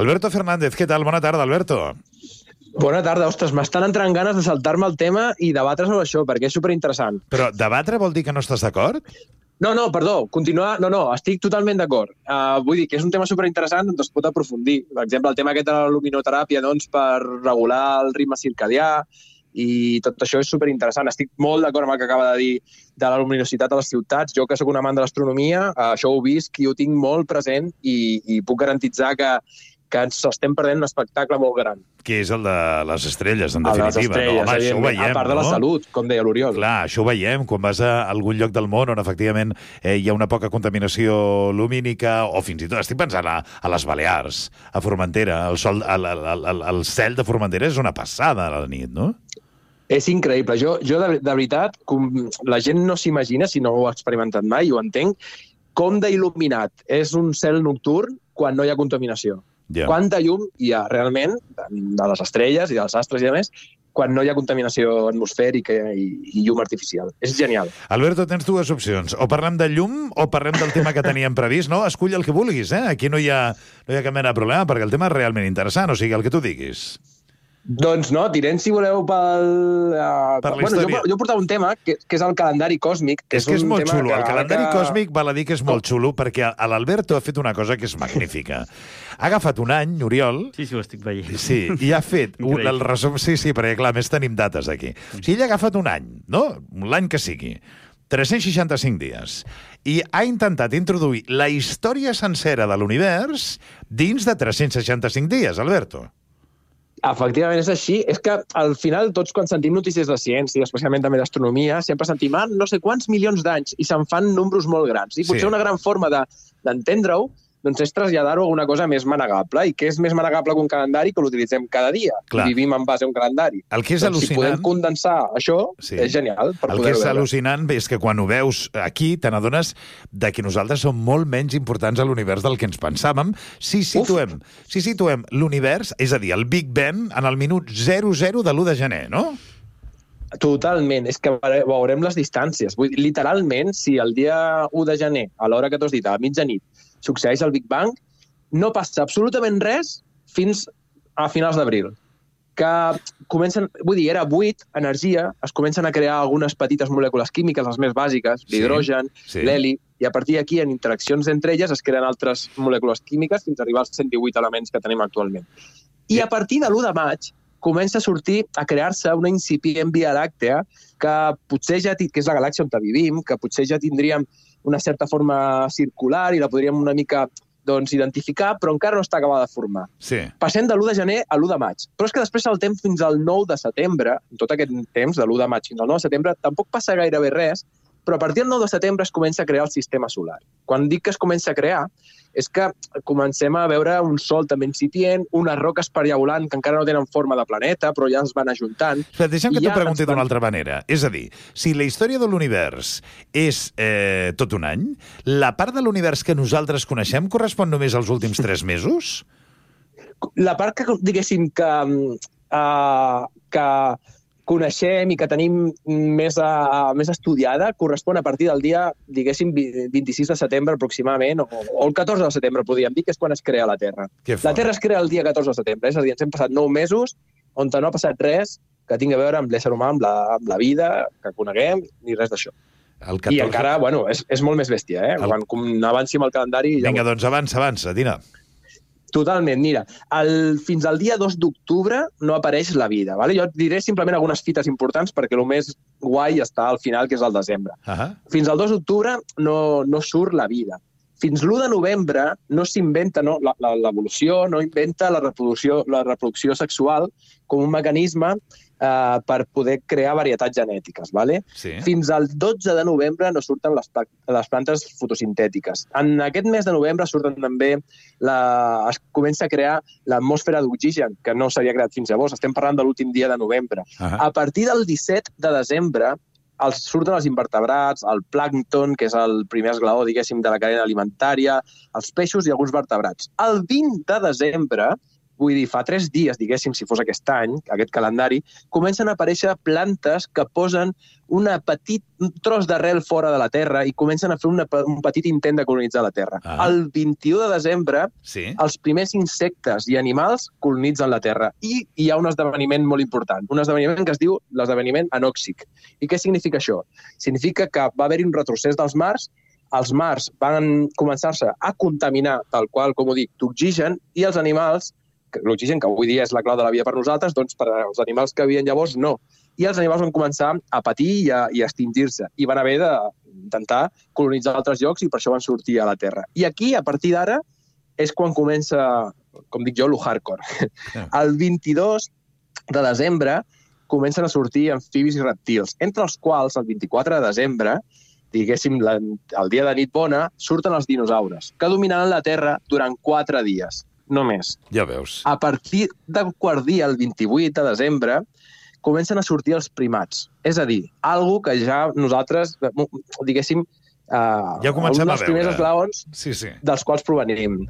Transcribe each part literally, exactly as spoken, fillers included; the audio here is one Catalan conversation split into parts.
Alberto Fernández, què tal? Bona tarda, Alberto. Bona tarda. Ostres, m'estan entrant ganes de saltar-me el tema i debatre sobre això, perquè és superinteressant. Però debatre vol dir que no estàs d'acord? No, no, perdó, continuar... No, no, estic totalment d'acord. Uh, vull dir que és un tema superinteressant on es pot aprofundir. Per exemple, el tema aquest de la luminoteràpia, doncs, per regular el ritme circadià, i tot això és superinteressant. Estic molt d'acord amb el que acaba de dir de la luminositat a les ciutats. Jo, que sóc un amant de l'astronomia, uh, això ho visc i ho tinc molt present i, i puc garantitzar que, que ens estem perdent un espectacle molt gran. Que és el de les estrelles, en definitiva. Les estrelles, no? Home, això ho veiem, a part de la no? salut, com deia l'Oriol. Clar, això ho veiem quan vas a algun lloc del món on efectivament eh, hi ha una poca contaminació lumínica, o fins i tot, estic pensant a, a les Balears, a Formentera, el, sol, el, el, el, el cel de Formentera és una passada a la nit, no? És increïble. Jo, jo de, de veritat, com la gent no s'imagina, si no ho ha experimentat mai, ho entenc, com d'il·luminat és un cel nocturn quan no hi ha contaminació. Yeah. Quanta llum hi ha realment de les estrelles i dels astres i a més quan no hi ha contaminació atmosfèrica i, i llum artificial. És genial. Alberto, tens dues opcions. O parlem de llum o parlem del tema que teníem previst. No, escull el que vulguis, eh? Aquí no hi ha, no hi ha cap mena de problema, perquè el tema és realment interessant, o sigui, el que tu diguis. Doncs no, tirem, si voleu, pel... Uh, per la bueno, història. jo, jo portava un tema, que, que és el calendari còsmic. Que és, és que és, és molt xulo. que, El calendari que... còsmic val a dir que és molt xulo, perquè l'Alberto ha fet una cosa que és magnífica. Ha agafat un any, Oriol... Sí, sí, ho estic veient. Sí, i ha fet un, el resum... Sí, sí, perquè, clar, més tenim dates aquí. O sigui, ell ha agafat un any, no? L'any que sigui. tres-cents seixanta-cinc dies. I ha intentat introduir la història sencera de l'univers dins de tres-cents seixanta-cinc dies, Alberto. Efectivament, és així. És que al final tots quan sentim notícies de ciència, especialment també d'astronomia, sempre sentim ah, no sé quants milions d'anys i se'n fan números molt grans. I potser sí. Una gran forma d'entendre-ho de, doncs és traslladar-ho a una cosa més manegable. I què és més manegable que un calendari? Que l'utilitzem cada dia. Clar. I vivim en base a un calendari. El que és doncs, al·lucinant... Si podem condensar això, sí. És genial. Per el que és al·lucinant és que quan ho veus aquí te n'adones de que nosaltres som molt menys importants a l'univers del que ens pensàvem si situem, si situem l'univers, és a dir, el Big Bang, en el minut zero zero de l'u de gener, no? Totalment. És que veurem les distàncies. Vull dir, literalment, si el dia u de gener, a l'hora que t'has dit, a la mitjanit, succeeix el Big Bang, no passa absolutament res fins a finals d'abril. Que comencen, vull dir, era buit, energia, es comencen a crear algunes petites molècules químiques, les més bàsiques, l'hidrogen, sí, sí. l'heli, i a partir d'aquí, en interaccions entre elles, es creen altres molècules químiques fins a arribar als cent divuit elements que tenim actualment. I a partir de l'u de maig, comença a sortir, a crear-se una incipient Via Làctea que potser ja, que és la galàxia on vivim, que potser ja tindríem una certa forma circular i la podríem una mica doncs, identificar, però encara no està acabada de formar. Sí. Passem de l'u de gener a l'u de maig. Però és que després saltem fins al nou de setembre, en tot aquest temps, de l'u de maig fins al nou de setembre, tampoc passa gairebé res, però a partir del nou de setembre es comença a crear el sistema solar. Quan dic que es comença a crear, és que comencem a veure un sol també incipient, unes roques per allà volant que encara no tenen forma de planeta, però ja es van ajuntant. Però deixa'm que t'ho pregunti d'una altra manera. És a dir, si la història de l'univers és eh, tot un any, la part de l'univers que nosaltres coneixem correspon només als últims tres mesos? La part que, diguéssim, que... Uh, que coneixem i que tenim més, a, més estudiada correspon a partir del dia, diguéssim, vint-i-sis de setembre aproximadament, o, o el catorze de setembre, podríem dir, que és quan es crea la Terra. La Terra es crea el dia catorze de setembre, és a dir, ens hem passat nou mesos on no ha passat res que tingui a veure amb l'ésser humà, amb la, amb la vida que coneguem, ni res d'això. catorze... I encara, bueno, és, és molt més bèstia, eh? El... Quan, quan avanci amb el calendari... Vinga, ja... doncs avança, avança, Dina. Totalment, mira, el, fins al dia dos d'octubre no apareix la vida. Vale? Jo et diré simplement algunes fites importants perquè el més guai està al final, que és el desembre. Uh -huh. Fins al dos d'octubre no, no surt la vida. Fins l'u de novembre no s'inventa, no, l'evolució no inventa la reproducció, la reproducció sexual com un mecanisme eh, per poder crear varietats genètiques. Vale? Sí. Fins al dotze de novembre no surten les, les plantes fotosintètiques. En aquest mes de novembre surten també, la, es comença a crear l'atmosfera d'oxigen, que no s'havia creat fins llavors. Estem parlant de l'últim dia de novembre. Uh -huh. A partir del disset de desembre els, surten els invertebrats, el plàncton, que és el primer esglaó, diguéssim, de la cadena alimentària, els peixos i alguns vertebrats. El vint de desembre vull dir, fa tres dies, diguéssim, si fos aquest any, aquest calendari, comencen a aparèixer plantes que posen una petit, un tros d'arrel fora de la Terra i comencen a fer una, un petit intent de colonitzar la Terra. Ah. El vint-i-u de desembre, sí. els primers insectes i animals colonitzen la Terra. I hi ha un esdeveniment molt important, un esdeveniment que es diu l'esdeveniment anòxic. I què significa això? Significa que va haver-hi un retrocés dels mars, els mars van començar-se a contaminar, tal qual, com ho dic, d'oxigen, i els animals, l'oxigen, que avui dia és la clau de la vida per nosaltres, doncs per als animals que havien llavors, no. I els animals van començar a patir i a, i a extingir-se, i van haver d'intentar colonitzar altres llocs, i per això van sortir a la Terra. I aquí, a partir d'ara, és quan comença, com dic jo, lo hardcore. El vint-i-dos de desembre comencen a sortir amfibis i reptils, entre els quals, el vint-i-quatre de desembre, diguéssim, la, el dia de nit bona, surten els dinosaures, que dominaran la Terra durant quatre dies, només. Ja veus. A partir del quart dia, el vint-i-vuit de desembre, comencen a sortir els primats. És a dir, algo que ja nosaltres, diguéssim, eh, ja comencem un dels primers esglaons sí, sí. dels quals provenim.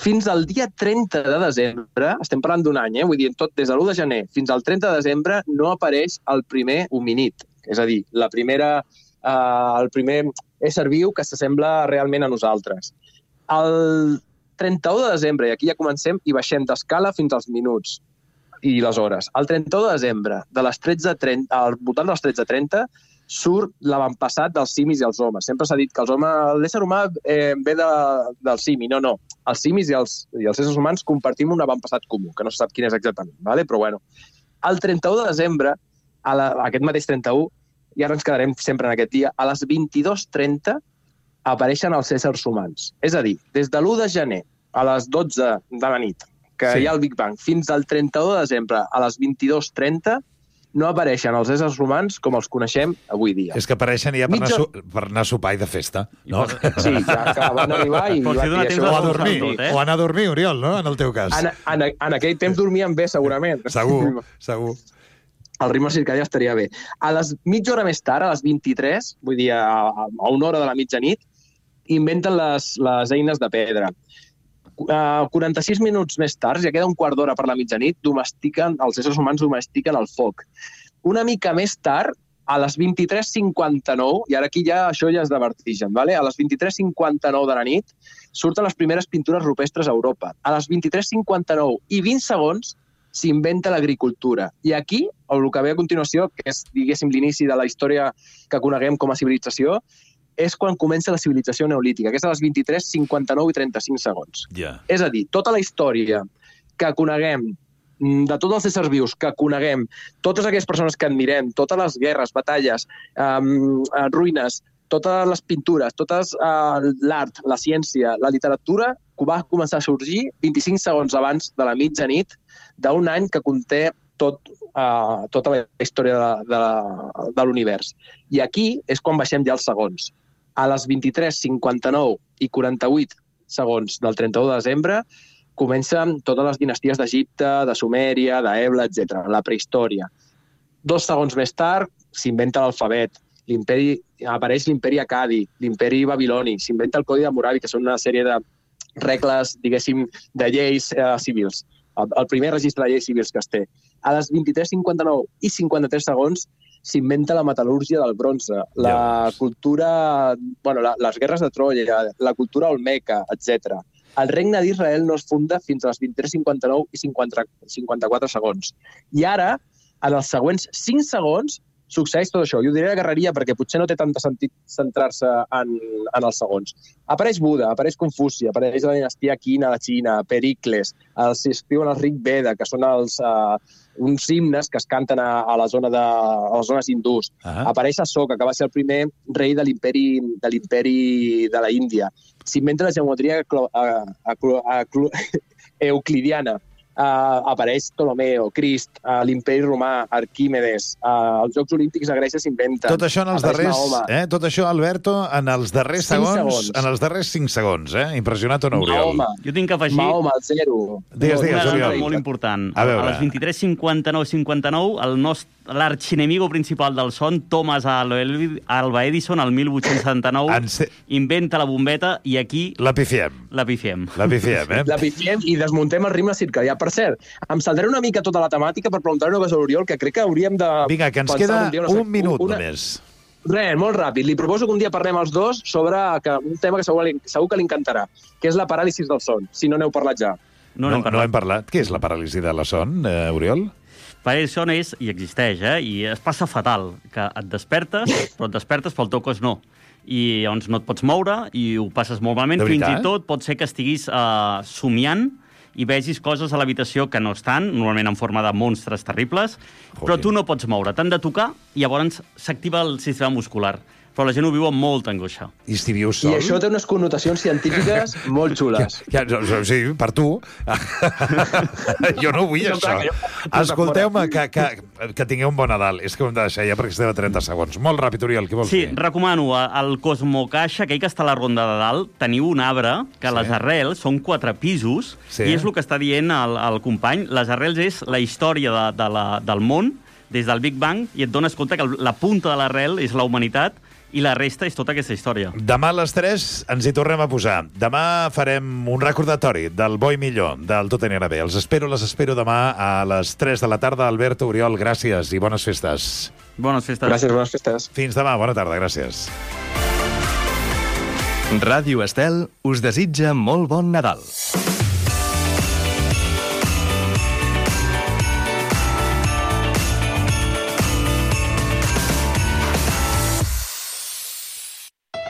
Fins al dia trenta de desembre, estem parlant d'un any, eh? Vull dir, tot des de l'u de gener fins al trenta de desembre no apareix el primer hominid, és a dir, la primera, eh, el primer ésser viu que s'assembla realment a nosaltres. El trenta-u de desembre, i aquí ja comencem i baixem d'escala fins als minuts i les hores. El trenta-u de desembre, de les tretze trenta, al voltant dels tretze trenta, surt l'avantpassat dels simis i els homes. Sempre s'ha dit que els homes, l'ésser humà eh, ve de, del simi. No, no. Els simis i els, i els éssers humans compartim un avantpassat comú, que no se sap quin és exactament, ¿vale? Però bueno. El trenta-u de desembre, a la, aquest mateix trenta-u, i ara ens quedarem sempre en aquest dia, a les vint-i-dues trenta apareixen els éssers humans. És a dir, des de l'u de gener a les dotze de la nit, que sí. hi ha el Big Bang, fins al trenta-u de desembre a les vint-i-dues trenta, no apareixen els éssers humans com els coneixem avui dia. És que apareixen ja per, Mitja... anar, su per anar a sopar i de festa, no? Sí, ja que van arribar i... Pot ser donar temps o, a dormir, tot, eh? o anar a dormir, Oriol, no? En el teu cas. En, en, en aquell temps dormien bé, segurament. Segur, segur. El ritme circadià estaria bé. A les mitja hora més tard, a les vint-i-tres, vull dir, a, a una hora de la mitjanit, inventen les, les eines de pedra. Uh, quaranta-sis minuts més tard, ja queda un quart d'hora per la mitjanit, domestiquen, els éssers humans domestiquen el foc. Una mica més tard, a les vint-i-tres cinquanta-nou, i ara aquí ja això ja és de vertigen, ¿vale? A les vint-i-tres cinquanta-nou de la nit surten les primeres pintures rupestres a Europa. A les vint-i-tres cinquanta-nou i vint segons s'inventa l'agricultura. I aquí, el que ve a continuació, que és, diguéssim, l'inici de la història que coneguem com a civilització, és quan comença la civilització neolítica, que és a les vint-i-tres cinquanta-nou i trenta-cinc segons. Yeah. És a dir, tota la història que coneguem, de tots els éssers vius que coneguem, totes aquelles persones que admirem, totes les guerres, batalles, um, ruïnes, totes les pintures, totes uh, l'art, la ciència, la literatura, que va començar a sorgir vint-i-cinc segons abans de la mitjanit d'un any que conté tot, uh, tota la història de, de, de l'univers. I aquí és quan baixem ja els segons. A les vint-i-tres cinquanta-nou i quaranta-vuit segons del trenta-u de desembre comencen totes les dinasties d'Egipte, de Sumèria, d'Ebla, etcètera, la prehistòria. Dos segons més tard s'inventa l'alfabet, l'imperi, apareix l'imperi Acadi, l'imperi Babiloni, s'inventa el Codi de Hammurabi, que són una sèrie de regles, diguéssim, de lleis eh, civils. El, el primer registre de lleis civils que es té. A les vint-i-tres cinquanta-nou i cinquanta-tres segons s'inventa la metal·lúrgia del bronze, la cultura, bueno, la, les guerres de Troia, la cultura olmeca, etcètera. El regne d'Israel no es funda fins a les vint-i-tres cinquanta-nou i cinquanta-quatre segons. I ara, en els següents cinc segons, succeeix tot això. Jo ho diré de guerreria perquè potser no té tant sentit centrar-se en, en els segons. Apareix Buda, apareix Confuci, apareix la dinastia Qina de Xina, Pericles, els escriuen els Rig Veda, que són els, uh, uns himnes que es canten a, a, la zona de, a les zones hindús. Uh -huh. Apareix Ashoka, que va ser el primer rei de l'imperi de l'imperi de la Índia. S'inventa la geometria euclidiana. Uh, apareix Ptolomeo, Crist, uh, l'imperi romà, Arquímedes, uh, els Jocs Olímpics a Grècia s'inventa. Tot això en els darrers, eh? Tot això, Alberto, en els darrers segons, segons, en els darrers cinc segons, eh? Impressionat o no, Oriol? Mahoma. Jo tinc que afegir... Mahoma, el zero. Digues, digues, una Oriol. dada molt important. A, a les vint-i-tres cinquanta-nou cinquanta-nou, el nostre l'arxinemigo principal del son, Thomas Alva Edison, el mil vuit-cents setanta-nou, se... inventa la bombeta i aquí... La pifiem. La pifiem. La pifiem, eh? La pifiem i desmuntem el ritme circadià. per cert, em saldré una mica tota la temàtica per preguntar-li una cosa a l'Oriol, que crec que hauríem de... Vinga, que ens queda un, un minut una... només. Res, molt ràpid. Li proposo que un dia parlem els dos sobre que, un tema que segur, segur que li encantarà, que és la paràlisi del son, si no n'heu parlat ja. No, no, no hem parlat. Què és la paràlisi de la son, eh, Oriol? Paràlisi del son és, i existeix, eh? I es passa fatal, que et despertes, però et despertes però el teu cos no. I llavors no et pots moure i ho passes molt malament. Fins i tot pot ser que estiguis uh, somiant i vegis coses a l'habitació que no estan, normalment en forma de monstres terribles, Joder. Però tu no pots moure. T'han de tocar i llavors s'activa el sistema muscular. Però la gent ho viu amb molta angoixa. I si vius sol? I això té unes connotacions científiques molt xules. Ja, ja, sí, per tu. Jo no vull no, això. Clar, escolteu-me, que, que, que tingueu un bon Nadal. És que ho hem de deixar ja perquè estem a trenta segons. Molt ràpid, Oriol, què vols sí, dir? Sí, recomano al Cosmocaixa, aquell que està a la Ronda de Dalt, teniu un arbre que sí. Les arrels són quatre pisos sí. I és el que està dient el, el company. Les arrels és la història de, de la, del món des del Big Bang i et dones compte que la punta de l'arrel és la humanitat i la resta és tota aquesta història. Demà a les tres ens hi tornem a posar. Demà farem un recordatori del bo i millor, del Tot anirà bé. Els espero, les espero demà a les tres de la tarda. Alberto, Oriol, gràcies i bones festes. Bones festes. Gràcies, bones festes. Fins demà, bona tarda, gràcies. Ràdio Estel us desitja molt bon Nadal.